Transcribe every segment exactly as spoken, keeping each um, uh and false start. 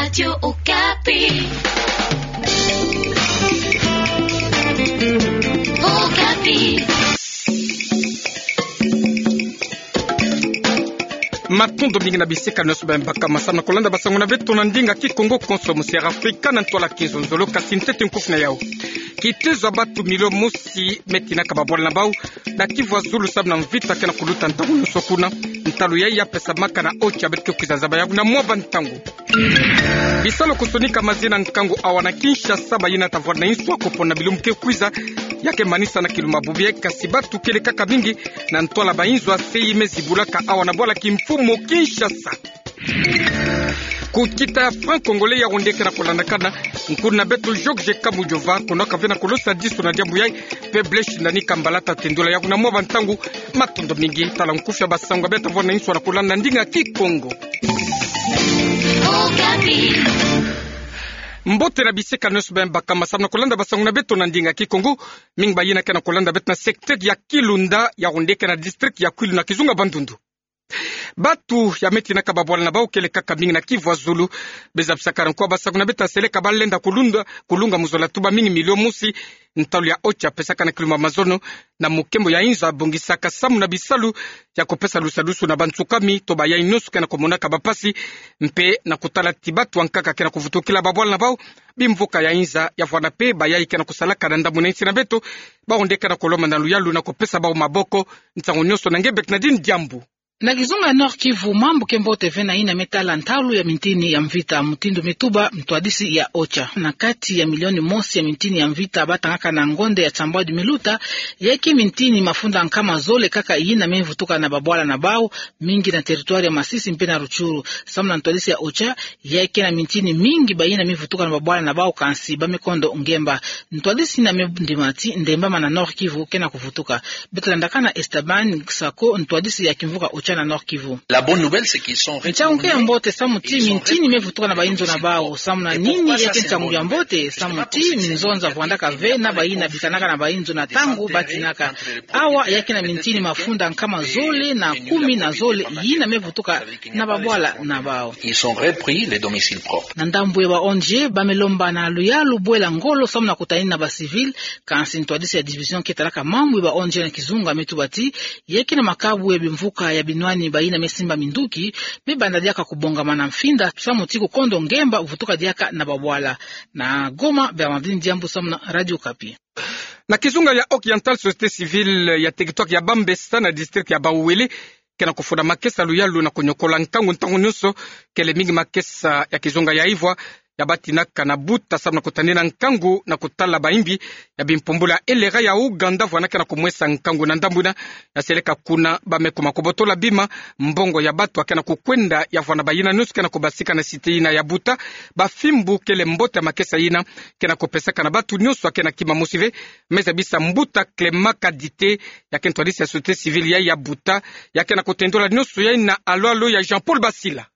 Radio Okapi. Okapi. Matondo mingi na bisika nyonso bambaka masambu na kolanda basango na beto na ndinga Kikongo konso, musi ya Afrika na ntwala kizonzolo, kasi ntete nkufi na yau. Kitezo ya batu milio mosi me tinaka babwala na bau na Kivu ya Zulu samu na mvita ke na kuluta ntangu nyonso kuna. Ntalu yayi ya pesamaka na OCHA beto ke kwiza zaba yau na mwa bantangu. Bisalu kusonika mazi na nkangu awa na Kinshasa, bayina ta vwanda na inzo ya kopona bilumbu ke kwiza, ya ke manisa na kilumbu bubu yayi, kasi batu kele kaka mingi na ntwala ba inzo ya se yi me zibulaka awa na bwala kimfumu Kinshasa. Ku kita ya Franc Congolais, yawu nde ke na kolandakana, nkuna beto Georges Kamujova, kono ka vena kolosa diso na diambu yayi, pe Blaise Ndani Kambala ta tendula yau na mwa bantangu. Matondo mingi, tala nkufi ya basango beto ta vwanda na inzo na kolanda na ndinga Kikongo. Mbote na bisika nyonso bambaka masambu na kolanda basango na beto na ndinga Kikongo, mingi bayina ke na kolanda beto na secteur ya Kilunda, yawu nde ke na district ya Kwilu na kizunga Bandundu. Batu ya me tinaka babwala na bau kele kaka mingi na Kivu ya Zulu. Be zabisaka nkwa basango na beto ta seleka balenda kulunda, kulunga mu zola tuba mingi milio mosi, ntalu ya OCHA pesaka na kilumbu ya mazono, na mukembo ya inzo ya bongisaka samu na bisalu ya kopesa lusadusu na bansukami to bayayi nyonso ke na komonaka bapasi, mpe na kutala ti batu ya nkaka ke na kuvutukila babwala na bau. Bimvuka ya inzo ya vwanda pe bayayi ke na kusalaka na ndambu na insi na beto, bau nde ke na kolomba na luyalu na kopesa bau maboko, nsangu nyonso na nge Bernardine Diambu. Na kizunga ya Nord-Kivu, mambu ke mbote vena yina me tala ntalu ya mintini ya mvita, mutindu me tuba ntwadisi ya OCHA. Na kati ya milioni mosi ya mintini ya mvita batangaka na ngonde ya Tsambwadi Miluta, ya ke mintini mafunda nkama zole kaka yina me vutuka na babwala na bau, mingi na territoire ya Masisi mpe na Rutshuru. Samu na ntwadisi ya OCHA, ya ke na mintini mingi bayina me vutuka na babwala na bau, kansi ba me kondo ngemba. Ntwadisi yina me ndima ti ndemba ma na Nord-Kivu ke na kuvutuka. Beto landakana Esteban Sako, ntwadisi ya kimvuka OCHA na Nord-Kivu. La bonne nouvelle, c'est qu'ils sont retournés. Nsangu ke ya mbote samu ti mintini me vutuka na bainzo na bau. Samu na nini ya ke nsangu ya mbote? Samu ti minzonza vwandaka ve na bayina bikanaka na bainzo na ntangu batinaka. Awa ya ke na mintini mafunda nkama zole na kumi na zole yina me vutuka na babwala na bau. Ils ont repris les domiciles propres. Na ndambu ya ba ONG, ba me lomba na luyalu bwela ngolo samu na kutanina ba civil, kansi ntwadisi ya division ke talaka mambu ya ba ONG na kizunga me tuba ti, ya ke na makabu ya bimvuka ya binwani bayina me simba minduki, me banda diaka kubongama na mfinda, samu ti kukondo ngemba vutuka diaka na babwala. Na Goma, Bernardine Diambu samu na Radio Okapi. Na kizunga ya Oriental, société civile ya territoire ya Bambessa na district ya Bauele ke na kufunda makesa luyalu na kunyokola nkangu ntangu nyonso, kele mingi makesa ya kizunga ya ivwa ya batinaka na buta samu na kutanina nkangu na kutala bayimbi ya bimpumbula elera ya Uganda vwanda ke na kumwesa nkangu. Na ndambu yina, ya seleka kuna ba me kuma kubotola bima, mbongo ya batu ya ke na kukwenda ya vwanda bayina nyonso ke na kubasika na site yina ya buta. Bafimbu kele mbote ya makesa yina ke na kupesaka na batu nyonso ya ke na kima mosi ve, me zabisa mbuta Clément Kadite, ya ke ntwadisi ya société civile ya, ya buta, ya ke na kutendula nyonso yayi na alo-alo ya Jean-Paul Basila.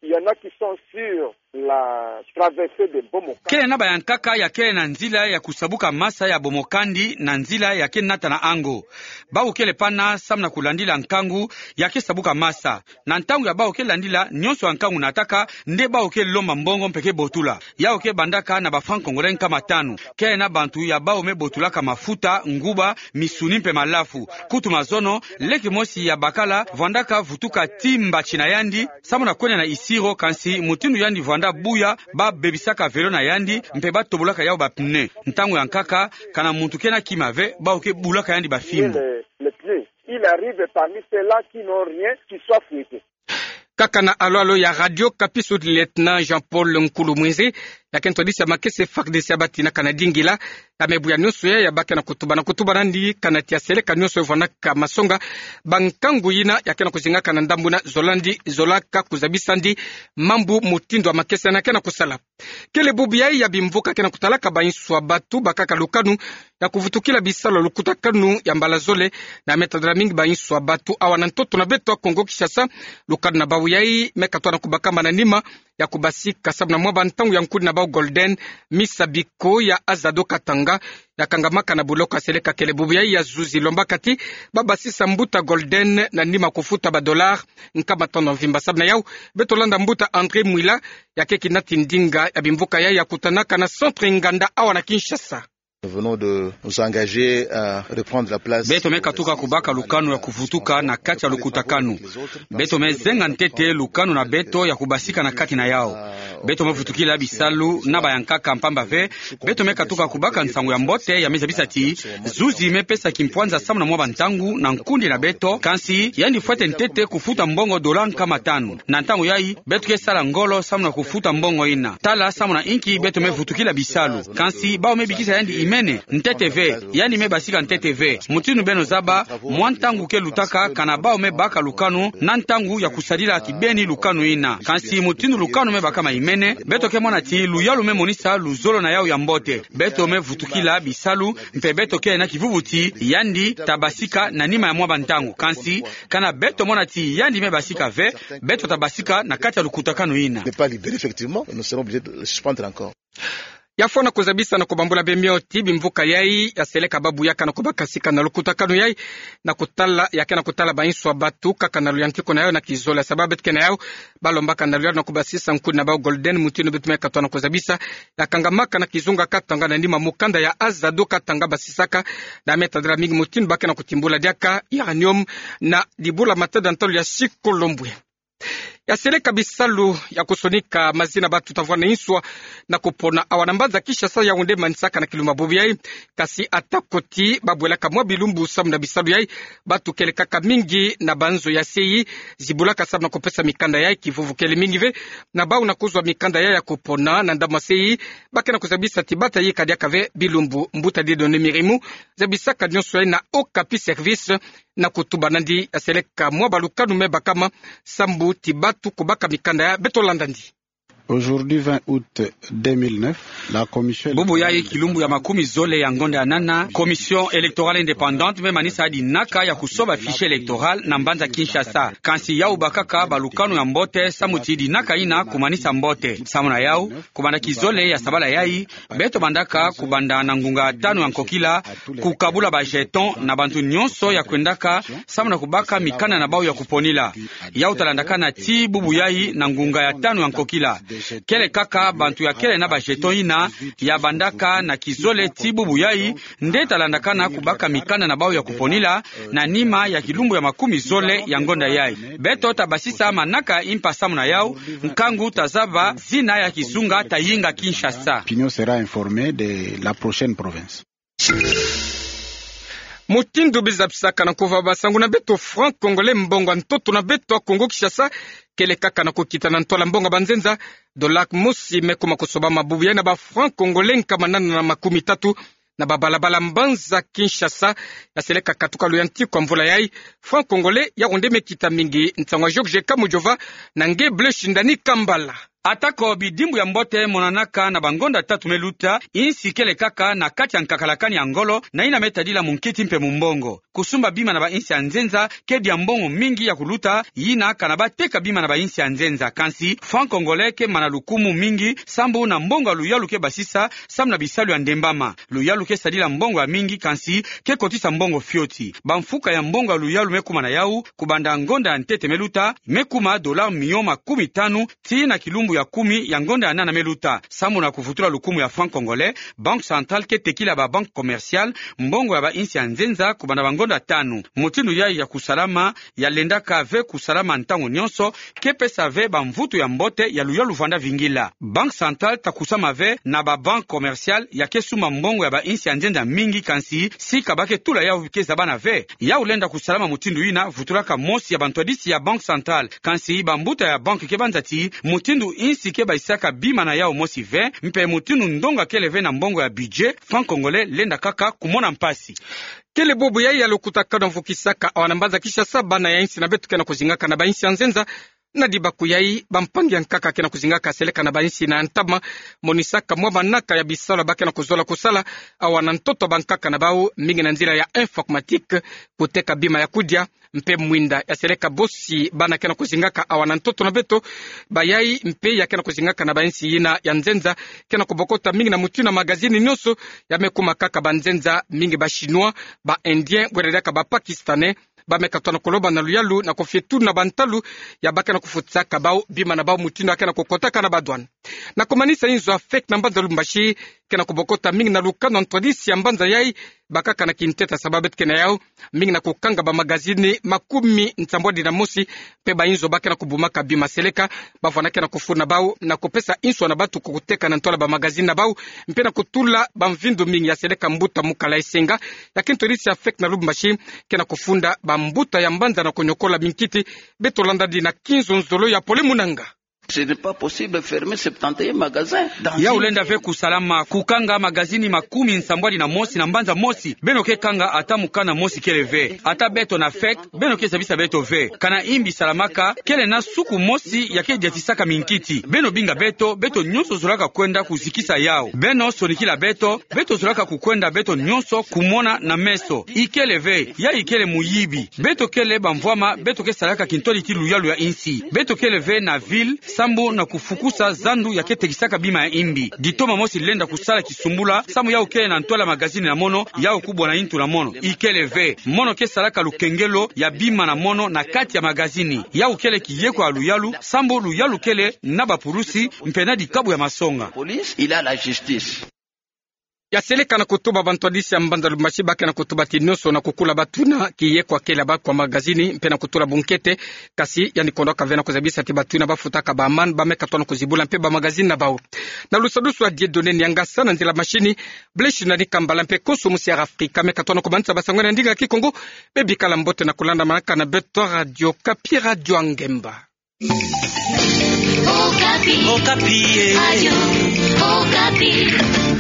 Il y en a qui sont sur la traversée de Bomokandi. Kele na bayankaka ya kele na nzila ya kusabuka masa ya Bomokandi na nzila ya ke nata na ango. Bau kele pana samu na kulandila nkangu ya ke sabuka masa. Na ntangu ya bau ke landila, nyonso ya nkangu nataka, nde bau ke lomba mbongo mpe ke botula. Yau ke bandaka na ba francs congolais nkama tanu. Kele na bantu ya bau me botulaka mafuta, nguba, misuni mpe malafu. Kutu mazono, leke mosi ya bakala vwandaka vutuka tii mbatsi na yandi samu na kwenda na Isiro, kansi mutindu yandi vwanda buya, ba bebisaka vélo na yandi, mpe ba tobolaka yau ba pneu. Ntangu ya nkaka, kana muntu ke na kima ve, bau ke bulaka yandi bafimbu. Le, le pneu. Il arrive parmi ceux-là qui n'ont rien, qui soient fouettés. Kaka na alo-alo ya Radio Okapi, sous-lieutenant Jean-Paul Nkulu Mwenze, ya ke ntwadisi ya makesa FARDC ya batinaka na dingila, ya me buya nyonso ya, ya ba ke na kutuba na kutuba nandi, kana ti ya seleka nyonso ya vwandaka masonga ba nkangu yina ya ke na kuzingaka na ndambu yina, zola ndi, zolaka kuzabisa ndi mambu mutindu ya makesa yina ke na kusala. Kele bubu yayi ya bimvuka ke na kutalaka bainso ya batu bakaka lukanu ya kuvutukila bisalu ya lukutakanu ya mbala zole, na me tadila mingi bainso ya batu awa na ntoto na beto ya Kongo Kinshasa. Lukanu na bau yayi me katoa na kubakama na nima ya kubasika samu na mwa bantangu ya nkundi na bau Golden, misa biko ya Azado Katanga, ya kangamaka na buloko ya seleka kele bubu yayi ya zuzi, lombaka ti ba basisa mbuta Golden na nima kufuta ba dollars nkama tanu mvimba. Samu na yau, beto landa mbuta André Mwila, ya keki nati ndinga ya bimvuka yayi ya kutanaka na centre Nganda awa na Kinshasa. Nous venons de nous engager à reprendre la place. Beto me katuka kubaka lukanu ya kuvutuka na kati ya lukutakanu. Beto me zenga ntete lukanu na beto ya kubasika na kati na yau. Beto me vutukila bisalu na bayankaka, mpamba ve beto me katuka kubaka nsangu ya mbote ya me zabisa ti zuzi me pesa kimpwanza samu na mwa bantangu na nkundi na beto, kansi yandi fwete ntete kufuta mbongo dollars nkama tanu. Na ntangu yayi, beto ke sala ngolo samu na kufuta mbongo yina. Tala samu na inki beto me vutukila bisalu. Kansi bau me bikisa yandi imene, ntete ve, yandi me basika ntete ve. Mutindu beno zaba, mwa ntangu ke lutaka kana bau me baka lukanu na ntangu ya kusadila kibeni lukanu yina. Kansi mutindu lukanu me bakama imene, beto ke mona ti luyalu me monisa luzolo na yau ya mbote. Beto me vutukila bisalu, mpe beto ke na kivuvu ti yandi ta basika na nima ya mwa bantangu. Kansi kana beto mona ti yandi me basika ve, beto ta basika na kati ya lukutakanu yina. N'est pas libéré, effectivement, nous serons obligés de le suspendre encore. Ya fwana kuzabisa na kubambula bemio ti bimvuka yayi ya seleka babu ya ke na kubakasika na lukutakanu yayi, na kutala, ya ke na kutala bainsu ya batu kaka na luyantiku na yau na kizole. Sababu beto ke na yau, balombaka na luyalu na kubasisa nkundi na bau Golden, mutindu beto me katuka na kuzabisa, ya kangamaka na kizunga Katanga na nima mukanda ya Azado Katanga basisaka, na me tadila mingi mutindu ba ke na kutimbula diaka uranium na dibula matadi ya ntalu ya Sikolombwe. Ya seleka bisalu ya kusonika mazina batu ta vwanda inswa na kupona awa na mbanza Kinshasa, yawu nde manisaka na kilumbu ya bubu yayi. Kasi ata ko ti babwelaka mwa bilumbu samu na bisalu yayi, batu kele kaka mingi na banzo ya seyi zibulaka samu na kupesa mikanda yayi. Kivuvu kele mingi ve na bau na kuzwa mikanda yayi ya kupona na ndambu ya seyi, ba ke na kuzabisa ti bata yika diaka ve bilumbu. Mbuta Dieudonné Mirimu zabisaka nionso yayi na Okapi Service, na kutuba nandi ya seleka mwa balukanu me bakama sambu ti batu kubaka mikanda yayi. Beto landa ndi. Aujourd'hui, vingt août deux mille neuf, la commission... Bubu yayi kilumbu ya makumi zole ya ngonda ya nana, Commission électorale indépendante me manisa dinaka ya kusoba fichier électoral na mbanza Kinshasa. Kansi yawu bakaka balukanu ya mbote samu ti dinaka yina kumanisa mbote. Samu na yawu, kubanda kizole ya sabala yayi, beto bandaka kubanda na ngunga tanu ya nkokila kukabula ba jeton na bantu nionso ya kwendaka samu na kubaka mikanda na bau ya kuponila. Yawu talandaka na ti bubu yayi na ngunga ya tanu ya nkokila. Kele kaka bantu ya kele na ba jeton yina ya bandaka na kizole ti bubu yayi nde talandaka na kubaka mikanda na bau ya kuponila na nima ya kilumbu ya makumi zole ya ngonda yayi. Beto tabasisa manaka impa samu na yawu, nkangu tazaba zina ya kizunga tayinga Kinshasa. L'opinion sera informée de la prochaine province. Mutindu biza bisaka na nkuva, basangu na beto franc congolais, mbongo ya ntoto na beto ya Kongo Kinshasa, kele kaka na kukita na ntwala mbongo ya banzenza. Dollar mosi me kuma kusobama bubu yayi na ba franc congolais nkama nana na makumi tatu na babalabala mbanza Kinshasa. Ya seleka katuka luyantiku ya mvula yayi, franc congolais yawu nde me kita mingi. Nsangu ya Georges Kamujova na nge Blaise Shindani Kambala. Ata ko bidimbu ya mbote monanaka na bangonda tatu me luta, insi kele kaka na kati ya nkakalakani ya ngolo na yina me tadila munkiti mpe mumbongo. Kusumba bima na bainsi ya nzenza ke dia mbongo mingi ya kuluta, yina kana bateka bima na bainsi ya nzenza. Kansi franc congolais ke mana lukumu mingi sambu na mbongo ya luyalu ke basisa samu na bisalu ya ndembama. Luyalu ke sadila mbongo ya mingi, kansi ke kotisa mbongo fioti. Bamfuka ya mbongo ya luyalu me kuma na yawu, kubanda ngonda ya ntete me luta, me kuma dollar milion makumi tanu tii na kilumbu ya kumi ya ngonda ya nana me luta. Samu na kuvutula lukumu ya franc congolais, Banque centrale ke tekila ba banques commerciales mbongo ya bainsi ya nzenza kubanda bangonda tanu. Mutindu yayi ya kusalama ya lendaka ve kusalama ntangu nionso, ke pesa ve bamvutu ya mbote ya luyalu vanda vingila. Banque centrale ta kusama ve na ba banques commerciales ya ke sumba mbongo ya bainsi ya nzenza mingi, kansi sika ba ke tula yawu ke zabana ve. Yawu lenda kusalama mutindu yina vutulaka mosi ya bantwadisi ya Banque centrale. Kansi bambuta ya banque ke banza ti mutindu insi ke bayisaka bima na yawu mosi ve, mpe mutindu ndonga kele ve na mbongo ya budget, franc congolais lenda kaka kumona mpasi. Kele bubu yayi ya lukutakanu ya mvukisaka awa na mbanza Kinshasa bana ya insi na beto ke na kuzingaka na bainsi ya nzenza. Na dibaku yayi, bampangi ya nkaka ke na kuzingaka seleka na bainsi na ntama, monisaka mwa manaka ya bisalu ba ke na kuzola kusala awa na ntoto bankaka na bawu, mingi na nzila ya informatique, kuteka bima ya kudia, Mpe mwinda ya seleka bosi bana ke na kuzingaka awa na ntoto na beto, bayai mpe ya ke na kuzingaka na bansi yina ya nzenza, ke na kubokota mingi na mutindu ya magazini nyonso ya me kuma kaka banzenza mingi, ba Chinois, ba Indiens, bwena diaka ba Pakistanais, ba me katoa na kuloba na luyalu na kufie tuna bantalu ya ba ke na kufutisaka bau bima na bau mutindu ya ke na kukotaka na ba douane. Na kumanisa, inzo ya Fek na mbanza Lubumbashi ke na kubokota mingi na lukano ya ntwadisi ya mbanza yai, bakaka na kinteta sababu beto ke na yau mingi na kukanga bamagazini makumi nsambwadi na mosi, mpe bainzo ba ke na kubumaka bima seleka, bavwanda ke na kufuna bau na kupesa nswa na bantu kukuteka na ntola bamagazini na bau, mpe na kutula bamvindu mingi ya seleka mbuta Mukala Esenga, ya kintwadisi ya Fek na Lubumbashi, ke na kufunda bambuta ya mbanza na kunyokola minkiti. Beto landa di na Kinzonzolo ya Pole Munanga. Ce n'est pas possible de fermer septante et un magasins dans... Ya une lenda ve kusalama kukanga magazini makumi nsambwadi na mosi na mbanza mosi. Beno ke kanga ata mukanda mosi kele ve. Ata beto na Fek, beno ke zabisa beto ve. Kana imbi salamaka, kele na suku mosi ya ke diatisaka minkiti. Beno binga beto, beto nyonso zolaka kwenda kuzikisa yau. Beno sonikila beto, beto zolaka kukwenda beto nyonso kumona na meso. Ikele ve, yai kele muyibi. Beto kele bamvwama, beto ke salaka kintwadi ti luyalu ya insi. Beto kele ve na ville, sambu na kufukusa zandu ya ke tekisaka bima ya imbi. Ditoma mosi lenda kusala kisumbula, sambu yau kele na ntola magazini na mono, yau kubwa na intu na mono. Ikele ve, mono ke salaka lukengelo ya bima na mono na kati ya magazini. Yau kele kiyekwa ya luyalu, sambu luyalu kele na bapulusi, mpe na dikabu ya masonga. Police, il a la justice. Ya seleka na kutuba bantwadisi ya mbanza Lubumbashi, ba ke na kutuba ti nyonso na kukula batu na kiyekwa kele ya bau kwa magazini, mpe na kutula bunkete, kasi yandi kondoka ve na kuzabisa ti batu yina bafutaka ba amende, ba me katoa na kuzibula mpe bamagazini na bau. Na lusadusu ya Dieudonné Niangasa, na nzila mashini, Blaise Nani Kambala mpe konso musi ya Afrika me katoa na kumanisa basango na ndinga ya Kikongo. Bebikala mbote na kulandamanaka na beto Radio Okapi, Radio ya Ngemba. Okapi. Okapi, eh. Radio Okapi.